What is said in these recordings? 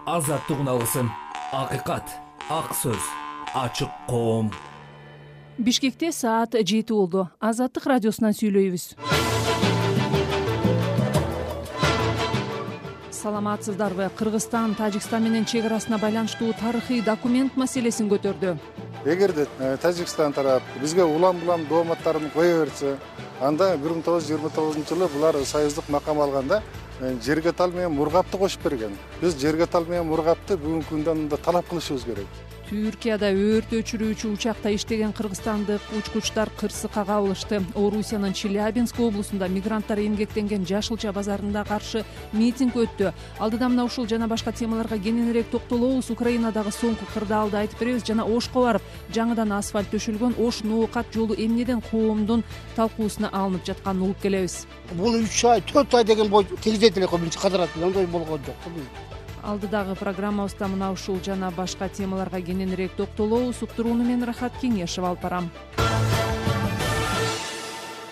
азаттык үналысын, акыйкат, ак сөз, ачык коом. Бишкекте саат 7 болду. Азаттык радиосунан сүйлөйбүз. Саламатсыздарбы? Кыргызстан Тажикстан менен чек арасына байланыштуу тарыхый документ маселесин көтөрдү. Эгерде Тажикстан тарап бизге улам-улам дооматтарын кое берсе, анда 1929-жылы булар союздук макам алганда жерге тал менен мургапты кошуп берген. Биз жерге тал менен мургапты бүгүнкү күндө талап кылышыбыз керек. Түркияда өрт өчүрүүчү учакта иштеген кыргызстандык учкучтар кырсыкка кабылышты. Орусиянын Челябинск облусунда мигранттар эмгектенген Жашылча базарында каршы митинг өттү. Алдыда мына ушул жана башка темаларга кененирээк токтолобуз. Украинадагы соңку кырдаалды айтып беребиз жана Ошко барып, жаңыдан асфальт төшөлгөн Ош Ноокат жолу эмнеден коомдун талкуусуна алынып жатканын угуп келебиз. Бул 3 ай, 4 ай деген бой тегизет эле биринчи кадырат андай болгон жок. Алдыдагы программабызда мына ушул жана башка темаларга кененирээк токтолобуз. Уктурууну мен Рахат Кеңешев алып барам.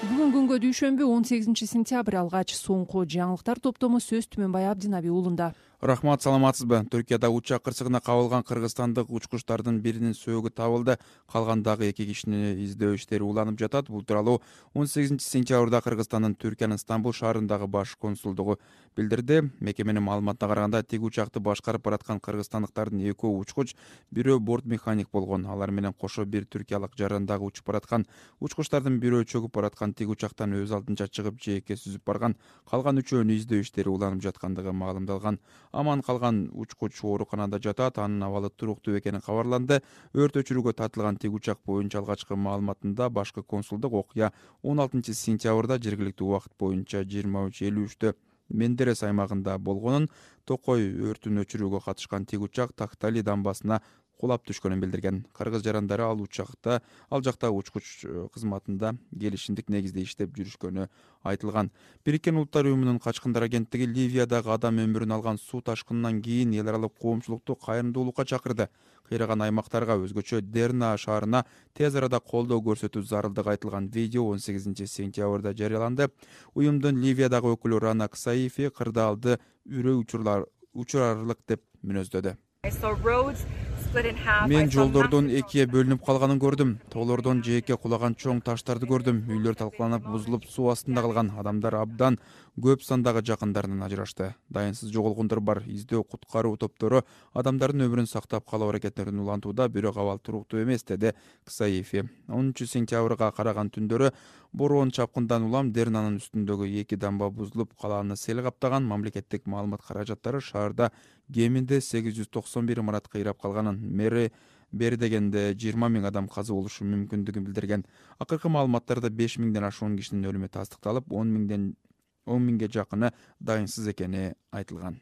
Бүгүн күнгө дүйшөмбү 18-сентябрь алгач соңку жаңылыктар топтому сөз Түмөнбай Абдинаби уулунда. Рахмат, саламатсызбы? Түркияда учак кырсыгына кабылган кыргызстандык учкучтардын биринин сөөгү табылды. Калгандагы 2 кишини издөө иштери уланып жатат. Бул тууралуу 18-сентябрда Кыргызстандын Түркиянын Стамбул шаарындагы баш консулдугу билдирди. Мекеменин маалыматына караганда, тиги учакты башкарып бараткан кыргызстандыктардын 2 учкуч, бирөө борт механик болгон. Алар менен кошо бир түркиялык жарандагы учуп бараткан. Учкучтардын бирөө чөгүп бараткан тиги учактан өз алдынча чыгып, жээкке сүзүп барган. Калган үчөөнүн издөө иштери уланып жаткандыгы маалымдалган. Аман калган учкуч ооруканада жатат. Анын абалы туруктуу экени кабарланды. Өрт өчүрүүгө тартылган тиги учак боюнча алгачкы маалыматында башкы консулдук окуя 16-сентябрда жергиликтүү убакыт боюнча 23:53 Мендерес аймагында болгонун, Токой өртүн өчүрүүгө катышкан тиги учак Тактали дамбасына кулап түшкөнүн билдирген. Кыргыз жарандары ал жакта учкуч кызматында келишимдик негизде иштеп жүрүшкөнү айтылган. Бириккен Улуттар уюмунун качкындар агенттиги Ливиядагы адам өмүрүн алган суу ташкынынан кийин эл аралык коомчулукту кайрымдуулукка чакырды. Кыйраган аймактарга, өзгөчө Дерна шаарына тез арада колдоо көрсөтүү зарылдыгы айтылган видео 18-сентябрда жарыяланды. Уюмдун Ливиядагы өкүлү Рана Ксаифи кырдаалды үрөө учурарлык деп мүнөздөдү. Мен жолдордун экиге бөлүнүп калганын көрдүм. Тоолордон жээкке кулаган чоң таштарды көрдүм. Үйлөр талкаланып, бузулуп, суу астында калган. Адамдар абдан көп сандагы жакындарынан ажырашты. Дайынсыз жоголгондор бар. Издөө куткаруу топтору адамдардын өмүрүн сактап калуу аракеттерин улантууда, бирок абал туруктуу эмес, деди Ксаифи. 10-сентябрга караган түндөрү бороон чапкындан улам Дернанын үстүндөгү 2 дамба бузулуп, калааны сел каптаган. Мамлекеттик маалымат каражаттары шаарда кеминде 891 имарат кыйрап калганын, мэри бери дегенде 20 000 адам каза болушу мүмкүндүгүн билдирген. Акыркы маалыматтарда 5 000ден ашуун кишинин өлүмү тастыкталып, 10 000ге жакыны дайынсыз экени айтылган.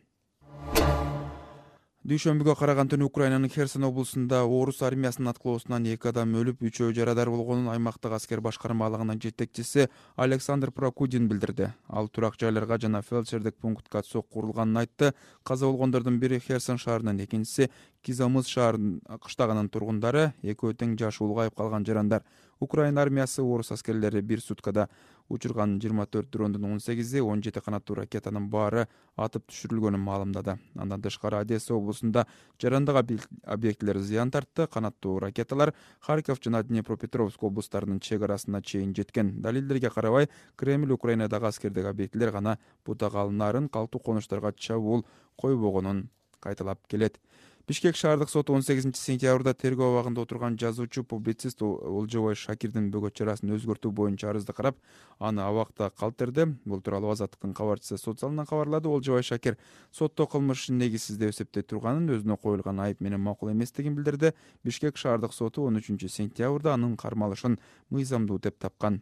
Дүйшөмбүгө караган түнү Украинанын Херсон облусунда орус армиясынын аткылоосунан 2 адам өлүп, 3-өө жарадар болгонун аймактык аскер башкармалыгынын жетекчиси Александр Прокудин билдирди. Ал турак жайларга жана фельдшердик пунктка сок курулганын айтты. Каза болгондордун бири Херсон шаарынын, экинчиси Кизамыс шаарынын кыштагынын тургундары, экөө тең жашы улгайып калган жарандар. Украина армиясы орус аскерлери бир суткада учурган 24 дрондун 18-и, 17 канаттуу ракетанын баары атып түшүрүлгөнүн маалымдады. Андан тышкары Одесса облусунда жарандык объектилер зыян тартты. Канаттуу ракеталар Харьков жана Днепропетровск облустарынын чек арасына чейин жеткен. Далилдерге карабай, Кремль Украинадагы аскердик объектилер гана бутак алынаарын, калктуу конуштарга чабуул койбогонун кайталап келет. Бишкек шаардык соту 18-сентябрда тергөө абагында отурган жазуучу, публицист Олжобай Шакирдин бөгөт чарасын өзгөртүү боюнча арызды карап, аны абакта калтырды. Бул тууралуу Азаттыктын кабарчысы социалынан кабарлады. Олжобай Шакир сотто кылмыш негизсиз деп эсептей турганын, өзүнө коюлган айып менен макул эместигин билдирди. Бишкек шаардык соту 13-сентябрда анын кармалышын мыйзамдуу деп тапкан.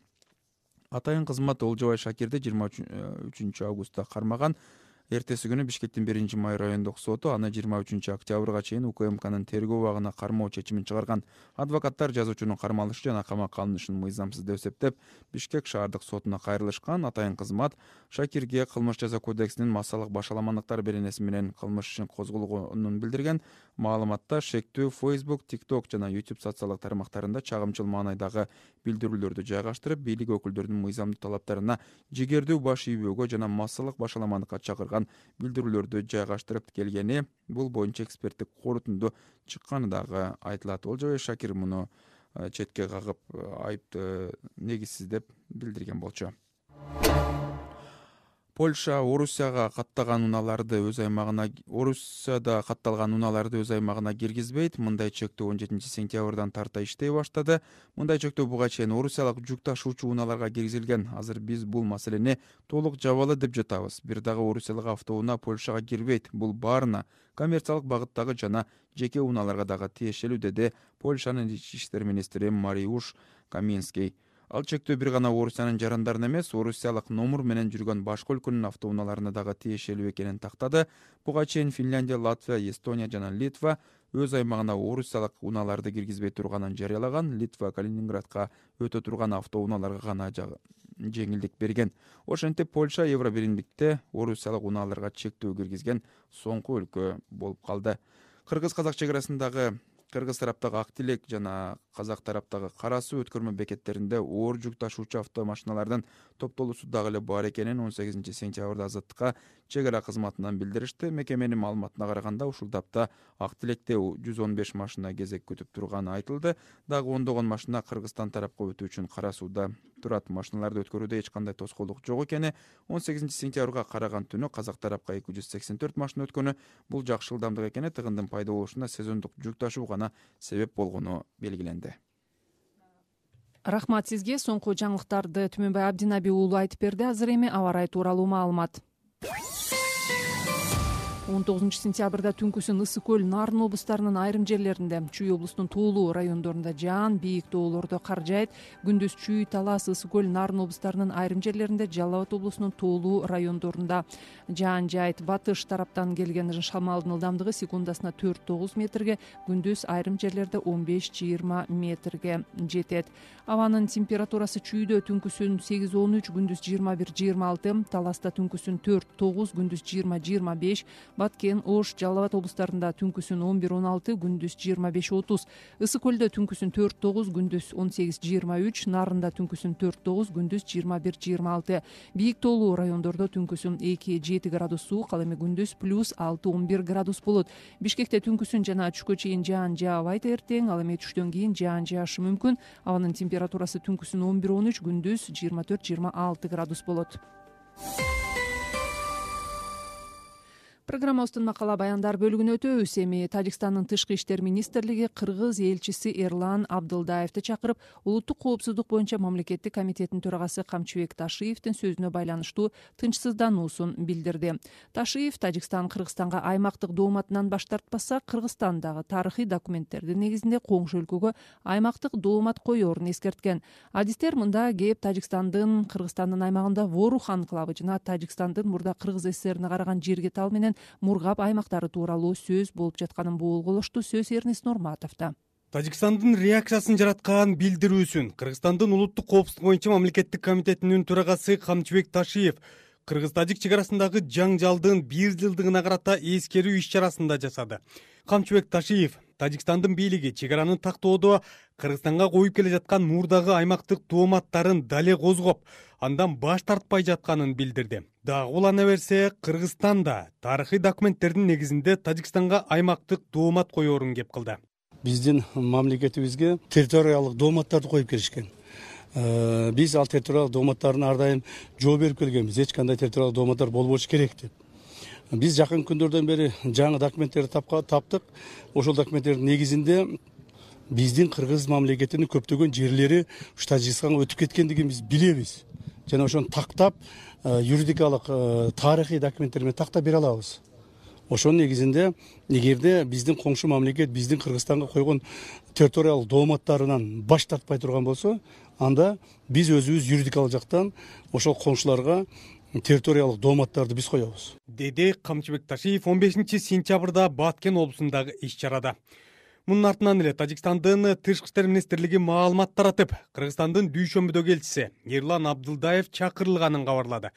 Атайын кызмат Олжобай Шакирди 23 августта кармаган. Эртеси күнү Бишкектин 1-май райондук соту аны 23 октябрга чейин УКМКнын тергөө абагына кармоо чечимин чыгарган. Адвокаттар жазуучунун кармалышы жана камакка алынышын мыйзамсыз деп эсептеп, Бишкек шаардык сотуна кайрылышкан. Атайын кызмат Шакирге кылмыш жаза кодексинин массалык башаламандыктар беренеси менен кылмыш ишин козголгонун билдирген. Маалыматта шектүү Facebook, TikTok жана YouTube социалдык тармактарында чагымчыл маанайдагы билдирүүлөрдү жайгаштырып, бийлик өкүлдөрүнүн мыйзамдуу талаптарына жигердүү баш ийбөөгө жана массалык башаламандыкка чакырган калтырган билдирүүлөрдү жайгаштырып келгени, бул боюнча эксперттик корутунду чыкканы дагы айтылат. Олжобай Шакир муну четке кагып айыпты негизсиз деп билдирген болчу. Польша Орусияда катталган унааларды өз аймагына киргизбейт. Мындай чектөө 17 сентябрдан тарта иштей баштады. Мындай чектөө буга чейин орусиялык жүк ташуучу унааларга киргизилген. Азыр биз бул маселени толук жабалы деп жатабыз. Бир дагы орусиялык автоунаа Польшага кирбейт. Бул баарына коммерциялык багыттагы жана жеке унааларга дагы тиешелүү, деди Польшанын ички иштер министри Мариуш Каминский. Ал чектөө бир гана Орусиянын жарандарына эмес, орусиялык номур менен жүргөн башка өлкөнүн автоунааларына дагы тиешелүү экенин тактады. Буга чейин Финляндия, Латвия, Эстония жана Литва өз аймагына орусиялык унааларды киргизбей турганын жарыялаган. Литва Калининградка өтө турган автоунааларга гана жеңилдик берген. Ошентип Польша Евробиримдикте орусиялык унааларга чектөө киргизген соңку өлкө болуп калды. Кыргыз-казак чегарасындагы кыргыз тараптагы Ак Тилек жана казак тараптагы Кара Суу өткөрмө бекеттеринде оор жүк ташуучу автомашиналардын топтолуусу дагы эле бар экенин 18 сентябрда Азаттыкка чегара кызматынан билдиришти. Мекеменин маалыматына караганда, ушул тапта Ак Тилекте 115 машина кезек күтүп турганы айтылды. Дагы ондогон машина Кыргызстан тарапка өтүү үчүн Кара Сууда турат. Машиналарды өткөрүүдө эч кандай тоскоолдук жок экени 18 сентябрга караган түнү казак тарапка 284 машина өткөнү. Бул жакшы ылдамдык экени, тыгындын пайда болушуна сезондук жүк ташуу гана себеп болгону белгиленди. Рахмат сизге. Соңку жаңылыктарды Түмөнбай Абдинаби уулу айтып берди. Азыр эми аба ырайы тууралуу маалымат. 19 сентябрда түнкүсүн Ысык көл, Нарын облустарынын айрым жерлеринде, Чүй облусунун Тоолуу райондорунда жаан, бийик тоолордо кар жаайт. Күндүз Чүй, Талас, Ысык көл, Нарын облустарынын айрым жерлеринде, Жалал Абад облусунун Тоолуу райондорунда жаан жаайт. Батыш тараптан келген шамалдын ылдамдыгы секундасына 4-9 метрге, күндүз айрым жерлерде 15-20 метрге жетет. Абанын температурасы Чүйдө түнкүсүн 8-13, күндүз 21-26, Таласта түнкүсүн 4-9, күндүз 20-25, Баткен, Ош, Жалал Абад облустарында түнкүсүн 11-16, күндүз 25-30, Ысык көлдө түнкүсүн 4-9, күндүз 18-23, Нарында түнкүсүн 4-9, күндүз 21-26, бийик тоолуу райондордо түнкүсүн 2-7 градус суук, ал эми күндүз +6-11 градус болот. Бишкекте түнкүсүн жана түшкө чейин жаан жаабайт эртең, ал эми түштөн кийин жаан жаашы мүмкүн. Абанын температурасы түнкүсүн 11-13, күндүз 24-26 градус болот. Программабыздын макала баяндар бөлүгүнө өтөбүз. Эми Тажикстандын тышкы иштер министрлиги кыргыз элчиси Эрлан Абдылдаевди чакырып, улуттук коопсуздук боюнча мамлекеттик комитеттин төрагасы Камчыбек Ташиевдин сөзүнө байланыштуу тынчсыздануусун билдирди. Ташиев Тажикстан Кыргызстанга аймактык дооматынан баш тартпаса, Кыргызстандагы тарыхый документтердин негизинде коңшу өлкөгө аймактык доомат коерун эскерткен. Адистер мында кеп Тажикстандын Кыргызстандын аймагында Ворух анклавы жана Тажикстандын мурда Кыргыз ССРине караган Жиргетал менен Мургап аймактары тууралуу сөз болуп жатканын боолголошту. Сөз Эрнис Нурматовдо. Тажикстандын реакциясын жараткан билдирүүсүн Кыргызстандын улуттук коопсуздук боюнча мамлекеттик комитетинин төрагасы Камчыбек Ташиев кыргыз-тажик чегарасындагы жаңжалдын 1 жылдыгына карата эскерүү иш-чарасында жасады. Камчыбек Ташиев Тажикстандын бийлиги чегараны тактоодо Кыргызстанга коюп келе жаткан мурдагы аймактык дооматтарын дале козгоп, андан баш тартпай жатканын билдирди. Дагы улана берсе, Кыргызстан да тарыхый документтердин негизинде Тажикстанга аймактык доомат коерун кеп кылды. Биздин мамлекетибизге территориялык дооматтарды коюп келишкен. Биз ал территориялык дооматтарын ар дайым жооп берип келгенбиз. Эч кандай территориялык дооматтар болбошу керек деп. Биз жакын күндөрдөн бери жаңы документтерди таптык. Ошол документтердин негизинде биздин кыргыз мамлекетинин көптөгөн жерлери Тажикстанга өтүп кеткендигин биз билебиз. Жана ошону тактап, юридикалык тарыхый документтер менен тактап бере алабыз. Ошонун негизинде эгерде биздин коңшу мамлекет биздин Кыргызстанга койгон территориялык дооматтарынан баш тартпай турган болсо, анда биз өзүбүз юридикалык жактан ошол коңшуларга территориялык дооматтарды биз коебуз, деди Камчыбек Ташиев 15 сентябрда Баткен облусундагы иш-чарада. Мунун артынан эле Тажикстандын тышкы иштер министрлиги маалымат таратып, Кыргызстандын дүйшөмбүдөгү элчиси Эрлан Абдылдаев чакырылганын кабарлады.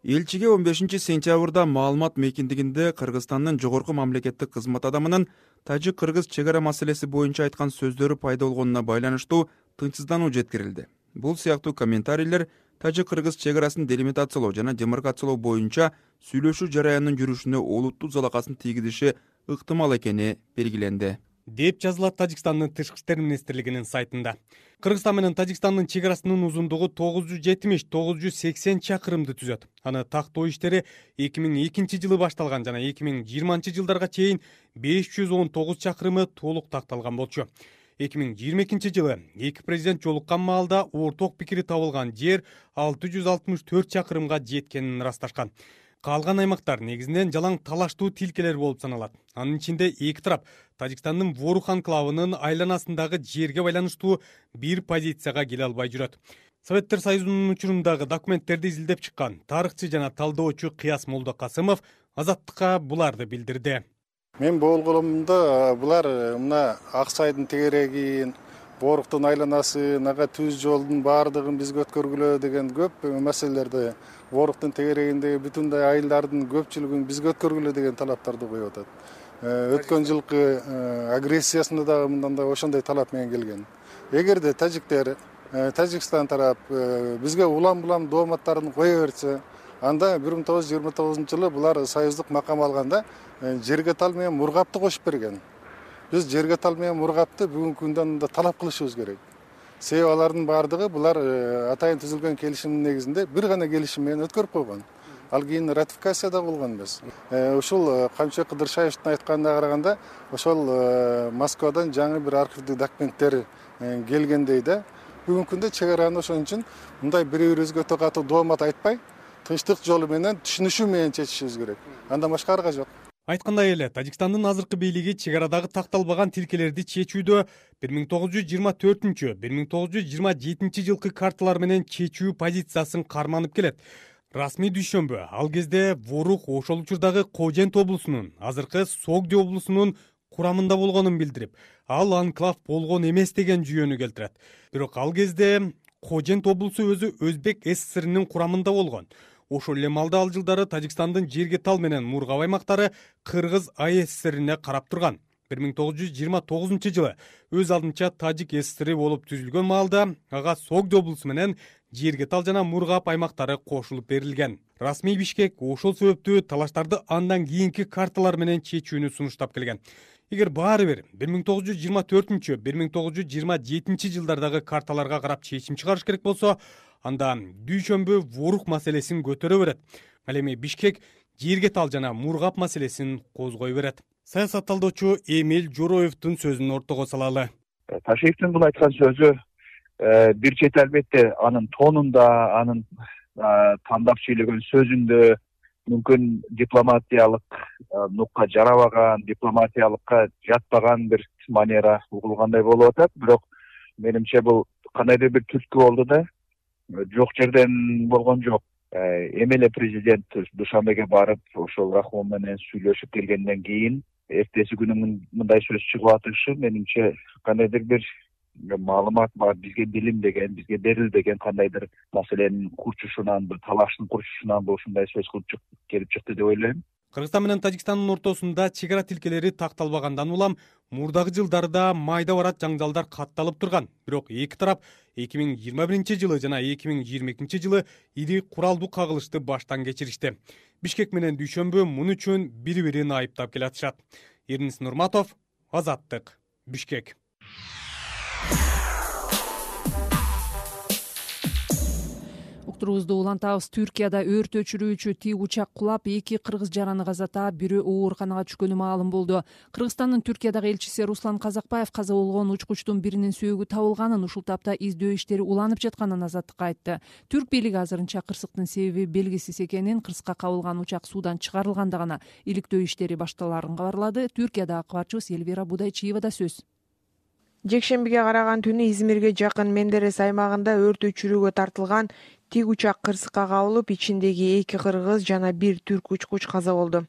Элчиге 15 сентябрда маалымат мейкиндигинде Кыргызстандын жогорку мамлекеттик кызмат адамынын тажик-кыргыз чегара маселеси боюнча айткан сөздөрү пайда болгонуна байланыштуу тынчсыздануу жеткирилди. Бул сыяктуу комментарийлер тажик-кыргыз чек арасын делимитациялоо жана демаркациялоо боюнча сүйлөшүү жараянынын жүрүшүнө олуттуу залакасын тийгизиши ыктымал экени белгиленди, деп жазылат Тажикстандын тышкы иштер министрлигинин сайтында. Кыргызстан менен Тажикстандын чек арасынын узундугу 970-980 чакырымды түзөт. Аны тактоо иштери 2002 жылы башталган жана 2020 жылдарга чейин 519 чакырымы толук такталган болчу. 2022 жылы эки президент жолуккан маалда орток пикири табылган жер 664 чакырымга жеткенин ырасташкан. Калган аймактар негизинен жалаң талаштуу тилкелер болуп саналат. Анын ичинде эки тарап Тажикстандын Ворух анклавынын айланасындагы жерге байланыштуу бир позицияга келе албай жүрөт. Советтер Союзунун учурундагы документтерди изилдеп чыккан тарыхчы жана талдоочу Кыяс Молдокасымов Азаттыкка буларды билдирди. Мен болгонумда булар мына Ак Сайдын тегерегин, Боруктун айланасы, ага түз жолдун баардыгын бизге өткөргүлө деген көп маселелерди, Боруктун тегерегиндеги бүтүндөй айылдардын көпчүлүгүн бизге өткөргүлө деген талаптарды коюп атат. Өткөн жылкы агрессиясында дагы мындан да ошондой талап менен келген. Эгерде тажиктер, Тажикстан тарап бизге улам-улам дооматтарын кое берсе, анда 1929 жылы булар союздук макам алганда жерге тал менен мургапты кошуп берген. Биз жерге тал менен мургапты бүгүнкү күндөн да талап кылышыбыз керек. Себеби алардын баардыгы булар атайын түзүлгөн келишимдин негизинде бир гана келишим менен өткөрүп койгон. Ал кийин ратификация да болгон эмес. Ушул Камчыбек Кыдыршаевдин айтканына караганда, ошол Москвадан жаңы бир архивдик документтер келгендей да. Бүгүнкү күндө чек араны ошон үчүн мындай бири-бирибизге өтө катуу доомат айтпай, тынчтык жолу менен түшүнүшүү менен чечишибиз керек. Андан башка арга жок. Айткандай эле, Тажикстандын азыркы бийлиги чек арадагы такталбаган тилкелерди чечүүдө 1924-1927 жылкы карталар менен чечүү позициясын карманып келет. Расмий дүйшөмбү ал кезде Ворух ошол учурдагы Кожент облусунун, азыркы Согди облусунун курамында болгонун билдирип, ал анклав болгон эмес деген жүйөнү келтирет. Бирок ал кезде Кожент облусу өзү Өзбек СССРинин курамында болгон. Ошол эле маалда ал жылдары Тажикстандын жерге тал менен Мургап аймактары Кыргыз АССРине карап турган. 1929 жылы өз алдынча Тажик СССРи болуп түзүлгөн маалда ага Согди облусу менен жерге тал жана Мургап аймактары кошулуп берилген. Расмий Бишкек ошол себептүү талаштарды андан кийинки карталар менен чечүүнү сунуштап келген. Эгер баары бир 1924-1927 жылдардагы карталарга карап чечим чыгарыш керек болсо, анда дүйшөмбү Ворух маселесин көтөрө берет. Ал эми Бишкек жерге тал жана Мургап маселесин козгой берет. Саясат талдоочу Эмил Жороевдун сөзүн ортого салалы. Ташиевдин бул айткан сөзү бир чети албетте анын тонунда, анын тандап сүйлөгөн сөзүндө мүмкүн дипломатиялык нукка жарабаган, дипломатиялыкка жатпаган бир манера угулгандай болуп атат. Бирок менимче бул кандайдыр бир түрткү болду да, жок жерден болгон жок. Эми эле президент Душанбеге барып, ошол Рахмон менен сүйлөшүп келгенден кийин эртеси күнү мындай сөз чыгып атышы менимче кандайдыр бир маалымат бар, бизге билинбеген, бизге берилбеген кандайдыр маселенин курчушунан, талаштын курчушунан ушундай сөз кылып келип чыкты деп ойлойм. Кыргызстан менен Тажикстандын ортосунда чек ара тилкелери такталбагандан улам мурдагы жылдарда майда барат жаңжалдар катталып турган. Бирок эки тарап 2021 жылы жана 2022 жылы ири куралдуу кагылышты баштан кечиришти. Бишкек менен дүйшөмбү муну үчүн бири-бирин айыптап келатышат. Эрнис Нурматов, Азаттык, Бишкек. Уктуруубузду улантабыз. Түркияда өрт өчүрүүчү тик учак кулап, 2 кыргыз жараны каза таап, бирөө ооруканага түшкөнү маалым болду. Кыргызстандын Түркиядагы элчиси Руслан Казакбаев каза болгон учкучтун биринин сөөгү табылганын, ушул тапта издөө иштери уланып жатканын Азаттыкка айтты. Түрк бийлиги азырынча кырсыктын себеби белгисиз экенин, кырсыкка кабылган учак суудан чыгарылганда гана иликтөө иштери башталарын кабарлады. Түркиядагы кабарчыбыз Элвира Будайчиевада сөз. Жекшембиге караган түнү Измирге жакын Мендерес аймагында өрт өчүрүүгө тартылган тик учак кырсыкка кабылып, ичиндеги 2 кыргыз жана 1 түрк учкуч каза болду.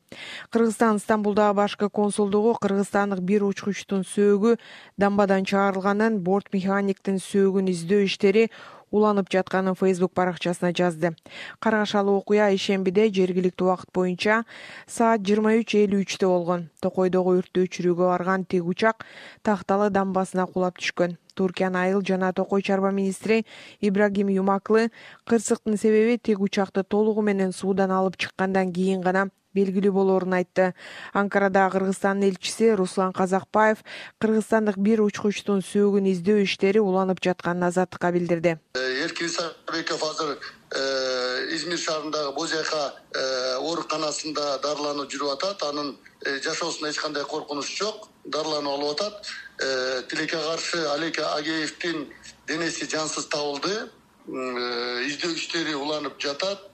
Кыргызстан Стамбулдагы башкы консулдугу кыргызстандык 1 учкучтун сөөгү дамбадан чыгарылганын, борт механиктин сөөгүн издөө иштери уланып жатканын Facebook баракчасына жазды. Каргашалуу окуя ишембиде жергиликтүү убакыт боюнча саат 23:53 болгон. Токойдогу өрттү өчүрүүгө барган тик учак Такталы дамбасына кулап түшкөн. Туркиянын айыл жана токой чарба министри Ибрагим Юмаклы кырсыктын себеби тик учакты толугу менен суудан алып чыккандан кийин гана белгилүү болоорун айтты. Анкарада Кыргызстандын элчиси Руслан Казакбаев кыргызстандык бир учкучтун сөөгүн издөө иштери уланып жатканын Азаттыкка билдирди. Эркин Исабеков азыр Измир шаарындагы Бозяка ооруканасында дарыланып жүрүп атат. Анын жашоосунда эч кандай коркунуч жок. Дарыланып алып атат. Тилекке каршы Алек Агеевдин денеси жансыз табылды. Издөө иштери уланып жатат.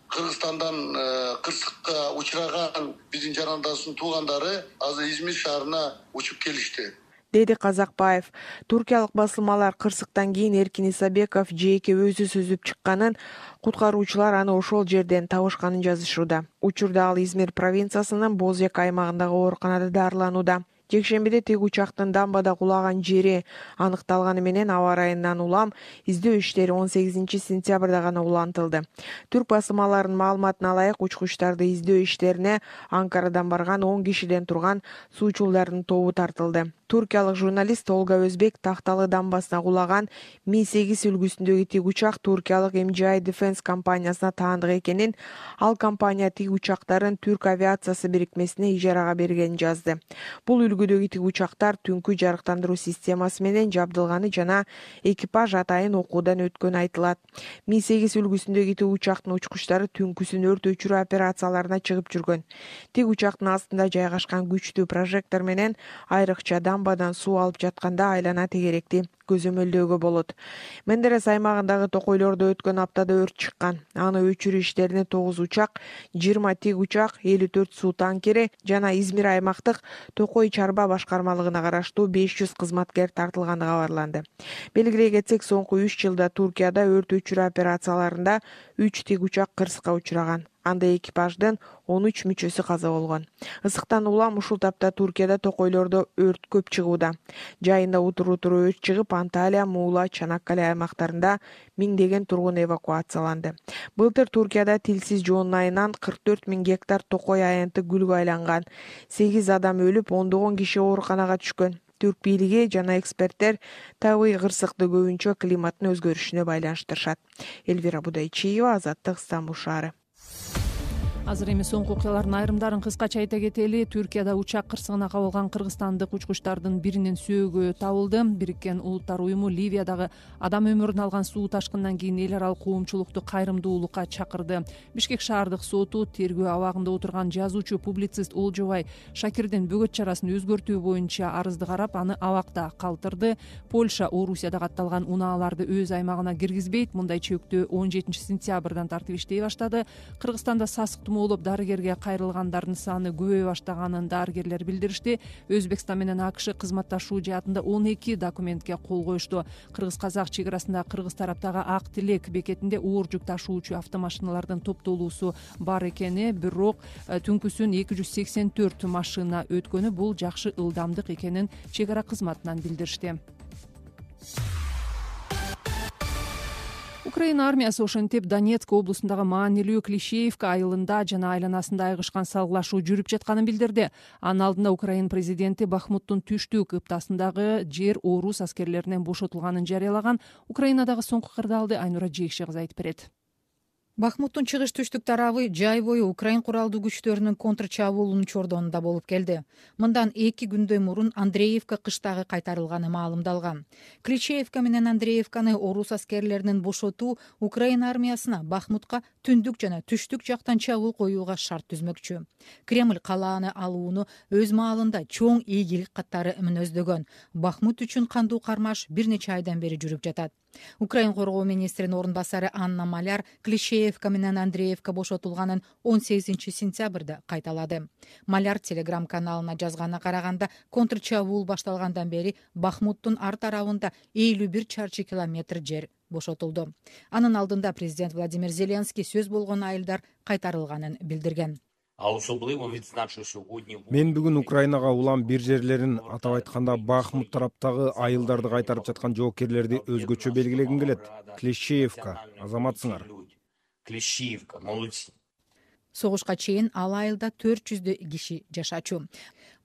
Кыргызстандан кырсыкка учураган биздин жарандардын туугандары азыр Измир шаарына учуп келишти, деди Казакбаев. Туркиялык басылмалар кырсыктан кийин Эркин Исабеков жээкке өзү сүзүп чыкканын, куткаруучулар аны ошол жерден табышканын жазышууда. Учурда ал Измир провинциясынын Бозяка аймагындагы ооруканада дарыланууда. Жекшембиде тик учактын дамбада кулаган жери аныкталганы менен аба ырайынан улам издөө иштери 18-сентябрда гана улантылды. Түрк басылмаларынын маалыматына ылайык, учкучтарды издөө иштерине Анкарадан барган 10 кишиден турган суучулдардын тобу тартылды. Туркиялык журналист Олга Өзбек Такталы дамбасына кулаган Mi-8 үлгүсүндөгү тик учак туркиялык MGI Defense компаниясына таандык экенин, ал компания тик учактарын Түрк авиациясы бирикмесине ижарага бергенин жазды. Бул үлгүдөгү тик учактар түнкү жарыктандыруу системасы менен жабдылганы жана экипаж атайын окуудан өткөнү айтылат. Mi-8 үлгүсүндөгү тик учактын учкучтары түнкүсүн өрт өчүрүү операцияларына чыгып жүргөн. Тик учактын астында жайгашкан күчтүү прожектор менен айрыкча дамбадан суу алып жатканда айлана тегеректи көзөмөлдөөгө болот. Мендерес аймагындагы токойлордо өткөн аптада өрт чыккан. Аны өчүрүү иштерине 9 учак, 20 тик учак, 54 суу танкери жана Измир аймактык токой чарба башкармалыгына караштуу 500 кызматкер тартылганы кабарланды. Белгилей кетсек, соңку 3 жылда Туркияда өрт өчүрүү операцияларында 3 тик учак кырсыкка учураган. Анда экипаждын 13 мүчөсү каза болгон. Ысыктан улам ушул тапта Туркияда токойлордо өрт көп чыгууда. Жайында утуру өрт чыгып, Анталия, Муула, Чанаккале аймактарында миңдеген тургун эвакуацияланды. Былтыр Туркияда тилсиз жоонун айынан 44 000 гектар токой аянты гүлгө айланган. 8 адам өлүп, ондогон киши ооруканага түшкөн. Түрк бийлиги жана эксперттер табигый кырсыкты көбүнчө климаттын өзгөрүшүнө байланыштырышат. Элвира Будайчиева, Азаттык, Стамбул шаары. Азыр эми соңку окуялардын айрымдарын кыскача айта кетели. Түркияда учак кырсыгына кабылган кыргызстандык учкучтардын биринин сөөгү табылды. Бириккен Улуттар уюму Ливиядагы адам өмүрүн алган суу ташкынынан кийин эл аралык коомчулукту кайрымдуулукка чакырды. Бишкек шаардык соту тергөө абагында отурган жазуучу, публицист Олжобай Шакирдин бөгөт чарасын өзгөртүү боюнча арызды карап, аны абакта калтырды. Польша Орусияда катталган унааларды өз аймагына киргизбейт. Мындай чөктөө 17-сентябрдан тартып иштей баштады. Кыргызстанда сасык болуп дарыгерге кайрылгандардын саны көбөйө баштаганын дарыгерлер билдиришти. Өзбекстан менен АКШ кызматташуу жаатында 12 документке кол коюшту. Кыргыз-казак чек арасында кыргыз тараптагы Ак Тилек бекетинде оор жүк ташуучу автомашиналардын топтолуусу бар экени, бирок түнкүсүн 284 машина өткөнү бул жакшы ылдамдык экенин чек ара кызматынан билдиришти. Украина армиясы ошентип Донецк облусундагы маанилүү Клишеевка айылында жана айланасында айгышкан салгылашуу жүрүп жатканын билдирди. Анын алдында Украина президенти Бахмуттун түштүк ыптасындагы жер орус аскерлеринен бошотулганын жарыялаган. Украинадагы соңку кырдаалды Айнура Жейкши кызы айтып берет. Бахмуттун чыгыш түштүк тарабы жай бою Украин куралдуу күчтөрүнүн контрчабуулунун чордонунда болуп келди. Мындан 2 күндөй мурун Андреевка кыштагы кайтарылганы маалымдалган. Кличеевка менен Андреевканы орус аскерлеринин бошотуу Украина армиясына Бахмутка түндүк жана түштүк жактан чабуул коюуга шарт түзмөкчү. Кремль калааны алууну өз маалында чоң ийгилик каттары мүнөздөгөн. Бахмут үчүн кандуу кармаш бир нече айдан бери жүрүп жатат. Украин коргоо министринин орун басары Анна Маляр Клишеевка менен Андреевка бошотулганын 18-сентябрда кайталады. Маляр Телеграм каналына жазганына караганда, контрчабуул башталгандан бери Бахмуттун ар тарабында 51 чарчы километр жер бошотулду. Анын алдында президент Владимир Зеленский сөз болгон айылдар кайтарылганын билдирген. Мен бүгүн Украинага улам бир жерлерин, атап айтканда Бахмут тараптагы айылдарды кайтарып жаткан жоокерлерди өзгөчө белгилегим келет. Клещеевка, азаматсыңар. Согушка чейин ал айылда 400 киши жашачу.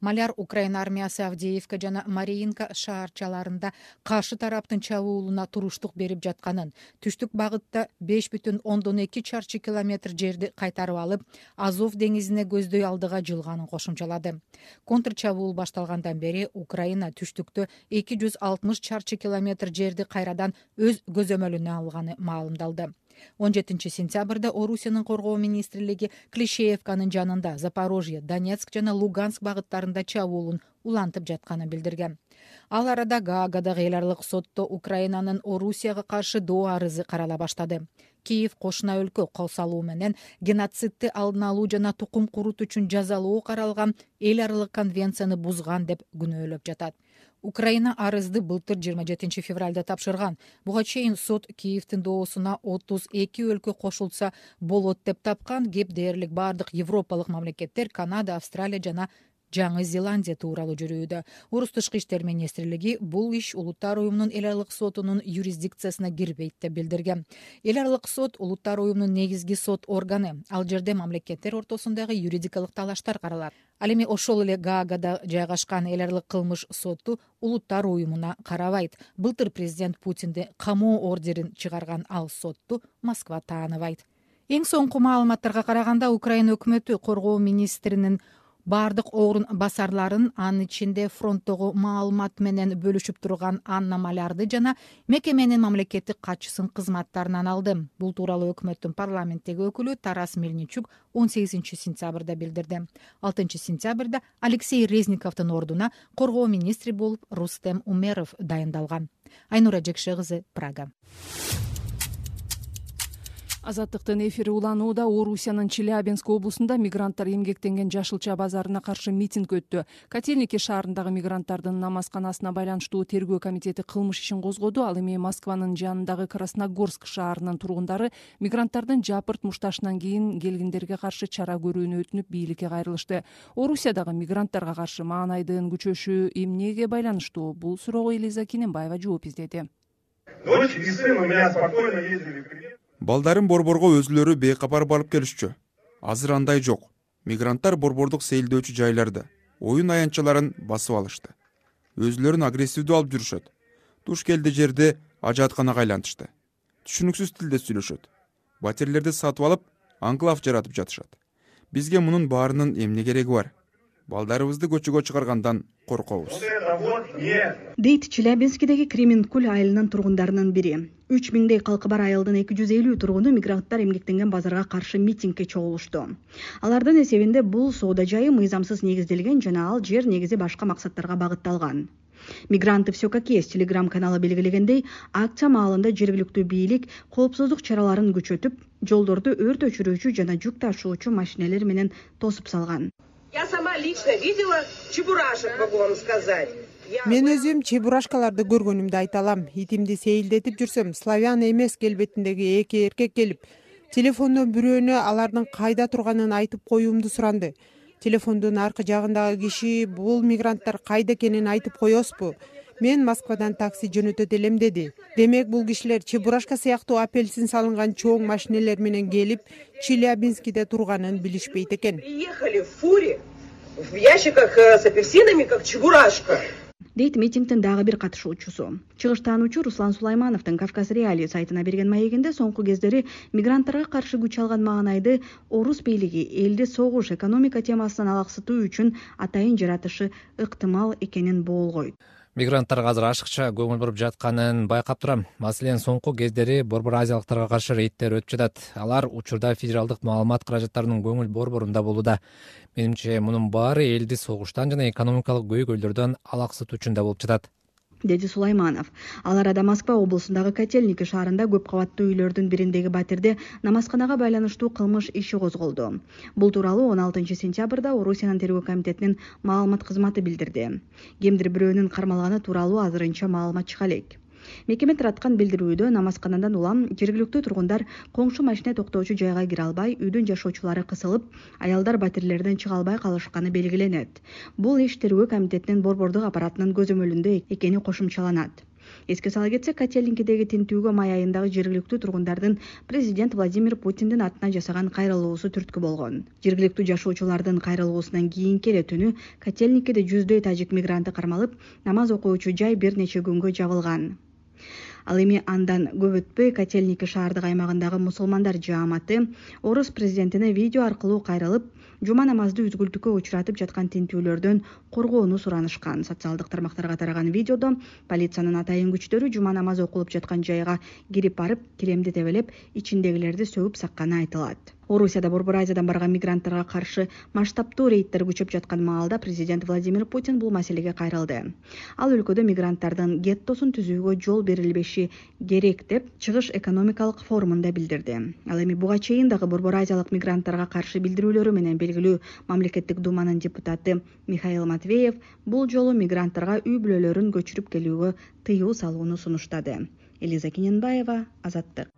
Маляр Украина армиясы Авдеевка жана Мариинка шаарчаларында каршы тараптын чабуулуна туруштук берип жатканын, түштүк багытта 5,2 чарчы километр жерди кайтарып алып, Азов деңизине көздөй алдыга жылганын кошумчалады. Контр чабуул башталгандан бери Украина түштүктө 260 чарчы километр жерди кайрадан өз көзөмөлүнө алганы маалымдалды. 17 сентябрда Орусиянын коргоо министрлиги Клещеевканын жанында Запорожье, Донецк жана Луганск багыттарында чабуулун улантып жатканын билдирген. Ал арада Гаагадагы эл аралык сотто Украинанын Орусияга каршы доо арызы карала баштады. Киев кошуна өлкө кол салуу менен геноцидти алдын алуу жана тукум курут үчүн жазалоо каралган эл аралык конвенцияны бузган деп күнөөлөп жатат. Украина арызды былтыр 27 февралда тапшырган. Буга чейин сот Киевдин доосуна 32 өлкө кошулса болот деп тапкан. Кеп дээрлик бардык европалык мамлекеттер Канада, Австралия жана Жаңы Зеландия тууралуу жүрүүдө. Орус тышкы иштер министрлиги бул иш Улуттар уюмунун эл аралык сотунун юрисдикциясына кирбейт деп билдирген. Эл аралык сот Улуттар уюмунун негизги сот органы. Ал жерде мамлекеттер ортосундагы юридикалык талаштар каралат. Ал эми ошол эле Гаагада жайгашкан эл аралык кылмыш соту Улуттар уюмуна карабайт. Былтыр президент Путинди камоо ордерин чыгарган ал сотту Москва тааныбайт. Эң соңку маалыматтарга караганда Украина өкмөтү коргоо министринин бардык орун басарларын, анын ичинде фронттогу маалымат менен бөлүшүп турган Анна Малярды жана мекеменин мамлекеттик катчысын кызматтарынан алды. Бул тууралуу өкмөттүн парламенттеги өкүлү Тарас Мельничук 18 сентябрда билдирди. 6 сентябрда Алексей Резниковдун ордуна коргоо министри болуп Рустем Умеров дайындалган. Айнура Жекше кызы, Прага. Азаттыктын эфири уланууда. Орусиянын Челябинск облусунда мигранттар эмгектенген Жашылча базарына каршы митинг өттү. Котельники шаарындагы мигранттардын намазканасына байланыштуу тергөө комитети кылмыш ишин козгоду. Ал эми Москванын жанындагы Красногорск шаарынын тургундары мигранттардын жапырт мушташынан кийин келгендерге каршы чара көрүүнү өтүнүп бийликке кайрылышты. Орусиядагы мигранттарга каршы маанайдын күчөшү эмнеге байланыштуу? Бул суроого Элиза Кинембаева жооп издеди. Дочь и сын у меня спокойно ездили. Балдарын Борборго өзүлөрү бейкапар барып келишчү. Азыр андай жок. Мигранттар борбордук сейилдөөчү жайларды, оюн аянтчаларын басып алышты. Өзүлөрүн агрессивдүү алып жүрүшөт. Туш келди жерде ажаатканага айлантышты. Түшүнүксүз тилде сүйлөшөт. Батирлерди сатып алып, анклав жаратып жатышат. Бизге мунун баарынын эмне кереги бар? Балдарыбызды көчөгө чыгаргандан коркобуз. Дейт Челябинскидеги Кременкуль айылынын тургундарынын бири. 3000дей калкы бар айылдын 250 тургуну мигранттар эмгектенген базарга каршы митингге чогулушту. Алардын эсебинде бул соода жайы мыйзамсыз негизделген жана ал жер негизи башка максаттарга багытталган. Мигранты все как есть телеграм-каналы белгилегендей, акция маалында жергиликтүү бийлик коопсуздук чараларын күчөтүп, жолдорду өрт өчүрүүчү жана жүк ташуучу машинелер менен тосуп салган. Я сама лично видела чебурашек, могу вам сказать. Мен өзүм чебурашкаларды көргөнүмдү айта алам. Итимди сейилдетип жүрсөм, славян эмес келбетиндеги эки эркек келип, телефондон бирөөнө алардын кайда турганын айтып коюумду суранды. Телефондун аркы жагындагы киши бул мигранттар кайда экенин айтып коесузбу? Мен Москвадан такси жөнөтөт элем деди. Демек бул кишилер чебурашка сыяктуу апельсин салынган чоң машинелер менен келип, Челябинскиде турганын билишпейт экен. Приехали в фуре, в ящиках с апельсинами, как чебурашка. Дейт митингдин дагы бир катышуучусу. Чыгыштаануучу Руслан Сулаймановдун Кавказ Реалии сайтына берген маегинде соңку кездери мигранттарга каршы күч алган маанайды орус бийлиги элди согуш экономика темасынан алаксытуу үчүн атайын жаратышы ыктымал экенин боолгойт. Мигранттарга азыр ашыкча көңүл буруп жатканын байкап турам. Маселен, соңку кездери борбор азиялыктарга каршы рейдтер өтүп жатат. Алар учурда федералдык маалымат каражаттарынын көңүл борборунда болууда. Менимче, мунун баары элди согуштан жана экономикалык көйгөйлөрдөн алаксытуу үчүн да болуп жатат, деди Сулайманов. Ал арада Москва облусундагы Котельники шаарында көп кабаттуу үйлөрдүн бириндеги батирде намазканага байланыштуу кылмыш иши козголду. Бул тууралуу 16 сентябрда Орусиянын тергөө комитетинин маалымат кызматы билдирди. Кимдир бирөөнүн кармалганы тууралуу азырынча маалымат чыга элек. Мекеме тараткан билдирүүдө намазканадан улам жергиликтүү тургундар коңшу машина токтоочу жайга кире албай, үйдүн жашоочулары кысылып, аялдар батирелерден чыга албай калышканы белгиленет. Бул иш тергөө комитетинин борбордук аппаратынын көзөмөлүндө экени кошумчаланат. Эске сала кетсек, Котельникидеги тинтүүгө май айындагы жергиликтүү тургундардын президент Владимир Путиндин атына жасаган кайрылуусу түрткү болгон. Жергиликтүү жашоочулардын кайрылуусунан кийинки эле түнү Котельникиде жүздөй тажик мигранты кармалып, намаз окуучу жай бир нече күнгө жабылган. Ал эми андан көп өтпөй Котельники шаардык аймагындагы мусулмандар жааматы орус президентине видео аркылуу кайрылып, жума намазды үзгүлтүккө учуратып жаткан тинтүүлөрдөн коргоону суранышкан. Социалдык тармактарга тараган видеодо полициянын атайын күчтөрү жума намазы окулуп жаткан жайга кирип барып, килемди тебелеп, ичиндегилерди сөгүп сакканы айтылат. Орусияда Борбор Азиядан барган мигранттарга каршы масштабтуу рейдтер күчөп жаткан маалда президент Владимир Путин бул маселеге кайрылды. Ал өлкөдө мигранттардын геттосун түзүүгө жол берилбеши керек деп Чыгыш экономикалык форумунда билдирди. Ал эми буга чейин дагы Борбор Азиялык мигранттарга каршы билдирүүлөрү менен белгилүү мамлекеттик думанын депутаты Михаил Матвеев бул жолу мигранттарга үй бүлөлөрүн көчүрүп келүүгө тыюу салууну сунуштады. Элиза Киненбаева, Азаттык.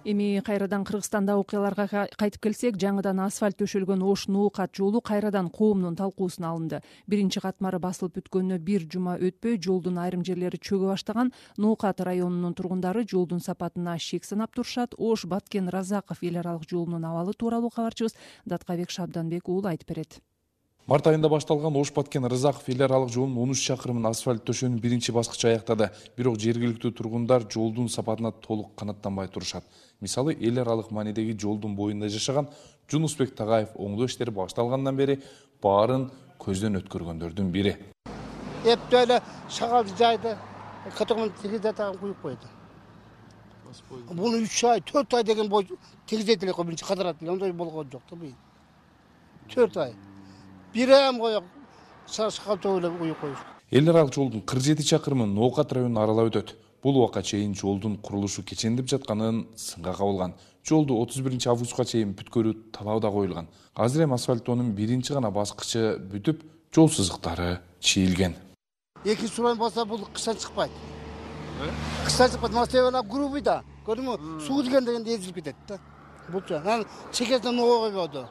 Эми кайрадан Кыргызстанда окуяларга кайтып келсек, жаңыдан асфальт төшөлгөн Ош Нуукат жолу кайрадан коомдун талкуусуна алынды. Биринчи катмары басылып бүткөнүнө бир жума өтпөй, жолдун айрым жерлери чөгө баштаган. Нуукат районунун тургундары жолдун сапатына шек санап турушат. Ош Баткен Разаков эл аралык жолунун абалы тууралуу кабарчыбыз Даткабек Шабданбек уулу айтып берет. Март айында башталган Ош Баткен Рызаков эл аралык жолунун 13 чакырымын асфальт төшөөнүн биринчи баскычы аяктады. Бирок жергиликтүү тургундар жолдун сапатына толук канааттанбай турушат. Мисалы, эл аралык маанидеги жолдун боюнда жашаган Жунусбек Тагаев оңдоо иштери башталгандан бери баарын көздөн өткөргөндөрдүн бири. Эптөө эле шагалды жайды катогон тегизе тагын куюп койду. Буну 3 ай, 4 ай деген бой тегизет эле биринчи кадырат эле, ондой болгон жок да бул. 4 ай. Бир ай коюп, шашкалтоо эле куюп коюш. Эл аралык жолдун 47 чакырымы Ноокат районун аралап өтөт. Бул убакка чейин жолдун курулушу кечендип жатканын сынга кабылган. Жолду 31 августка чейин бүткөрүү талабы да коюлган. Азыр эми асфальттоонун биринчи гана баскычы бүтүп, жол сызыктары чийилген. Экинчи суран болсо бул кыштан чыкпайт. Кыштан чыкпайт, маселе грубый да. Көрдүңбү? Суу дегенде эзилип кетет да. Булчу. Анан чекесинен ноо койбоду.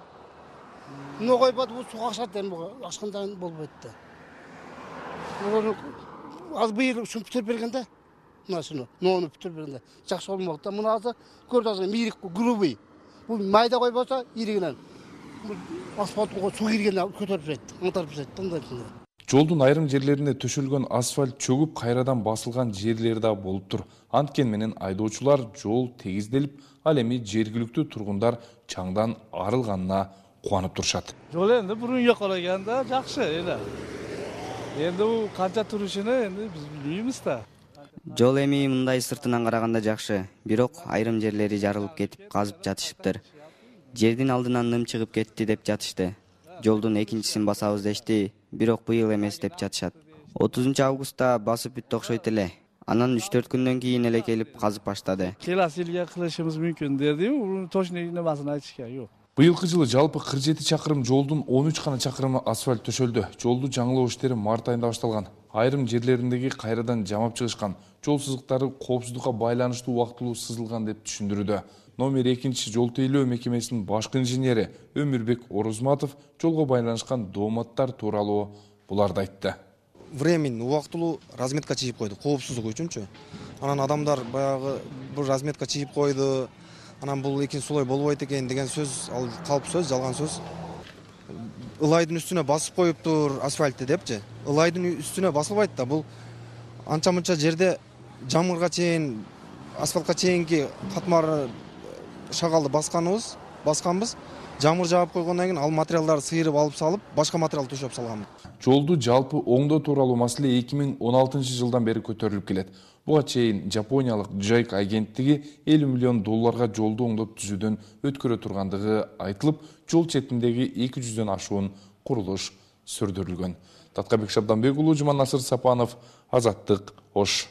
Ноо койбоду, бул суу акшат эми ашкандан болбойт да. Az быйыл ушуну бүтүрүп берген да. Мына ноону бүтүрүп бергенде жакшы болмок да. Муну азыр көрдүңүз, мирик грубый. Бул майда койбосо иригинен асфальтка суу киргенде көтөрүп берет, аңтарып берет. Жолдун айрым жерлерине төшөлгөн асфальт чөгүп кайрадан басылган жерлери да болуп тур. Анткени менен айдоочулар жол тегизделип, ал эми жергиликтүү тургундар чаңдан арылганына кубанып турушат. Жол энди бурун экологияда жакшы эле. Энди бул канча турушуну энди биз билбейбиз да. Жол эми мындай сыртынан караганда жакшы, бирок айрым жерлери жарылып кетип казып жатышыптыр. Жердин алдынан ным чыгып кетти деп жатышты. Жолдун экинчисин басабыз дешти, бирок быйыл эмес деп жатышат. 30 августта басып бүттү окшойт эле. Анан 3-4 күндөн кийин эле келип казып баштады. Келесі жылга кылышыбыз мүмкүн дедим, точно небасын айтышка жок. Быйылкы жылы жалпы 47 чакырым жолдун 13 гана чакырымы асфальт төшөлдү. Жолду жаңылоо иштери март айында башталган. Айрым жерлериндеги кайрадан жамап чыгышкан. Жол сызыктары коопсуздукка байланыштуу убактылуу сызылган деп түшүндүрүүдө. Номер 2 жол тейлөө мекемесинин башкы инженери Өмүрбек Орозматов жолго байланышкан дооматтар тууралуу буларды айтты. Времени убактылуу разметка чийип койду, коопсуздук үчүнчү. Анан адамдар баягы бир разметка чийип койду. Анан бул экинчи сулой болбойт экен деген сөз, ал калп сөз, жалган сөз. Ылайдын үстүнө басып коюптур асфальтты депчи. Ылайдын үстүнө басылбайт да, бул анча-мынча жерде жамырга чейин, асфальтка чейинки катмар шагалды басканбыз. Жамыр жаап койгондон кийин ал материалдарды сыйрып алып салып, башка материал төшөп салганбыз. Жолду жалпы оңдоо тууралуу маселе 2016 жылдан бери көтөрүлүп келет. Буга чейин Жапониялык JICA агенттиги $50 миллион жолду оңдоп түзүүдөн өткөрө тургандыгы айтылып, жол четиндеги 200дөн ашуун курулуш сүрдүрүлгөн. Таткабек Шабданбек уулу, Жуманасыр Сапанов, Азаттык, Ош.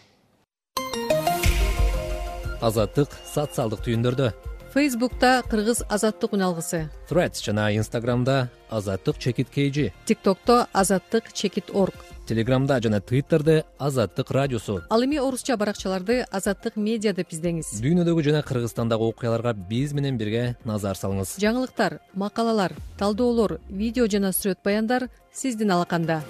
Азаттык социалдык түйүндөрдө. Facebook'ta Kırgız Azatlık Unalgısı. Threads жана Instagram'da Azatlık _KG. TikTok'ta Azatlık _org. Телеграмда жана Twitterде Азаттык радиосу. Ал эми орусча баракчаларды Азаттык медиа деп издеңиз. Дүйнөдөгү жана Кыргызстандагы окуяларга биз менен бирге назар салыңыз. Жаңылыктар, макалалар, талдоолор, видео жана сүрөт баяндар сиздин алаканда.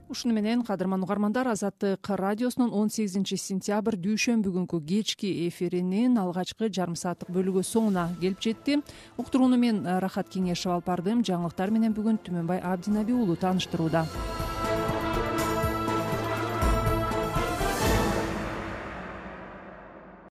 Ушуну менен кадырман угармандар, Азаттык радиосунун 18 сентябрь дүйшөмбү күнкү кечки эфиринин алгачкы жарым сааттык бөлүгү соңуна келип жетти. Уктурууну мен Рахат Кеңешев алып бардым. Жаңылыктар менен бүгүн Түмөнбай Абдинабий уулу тааныштырууда.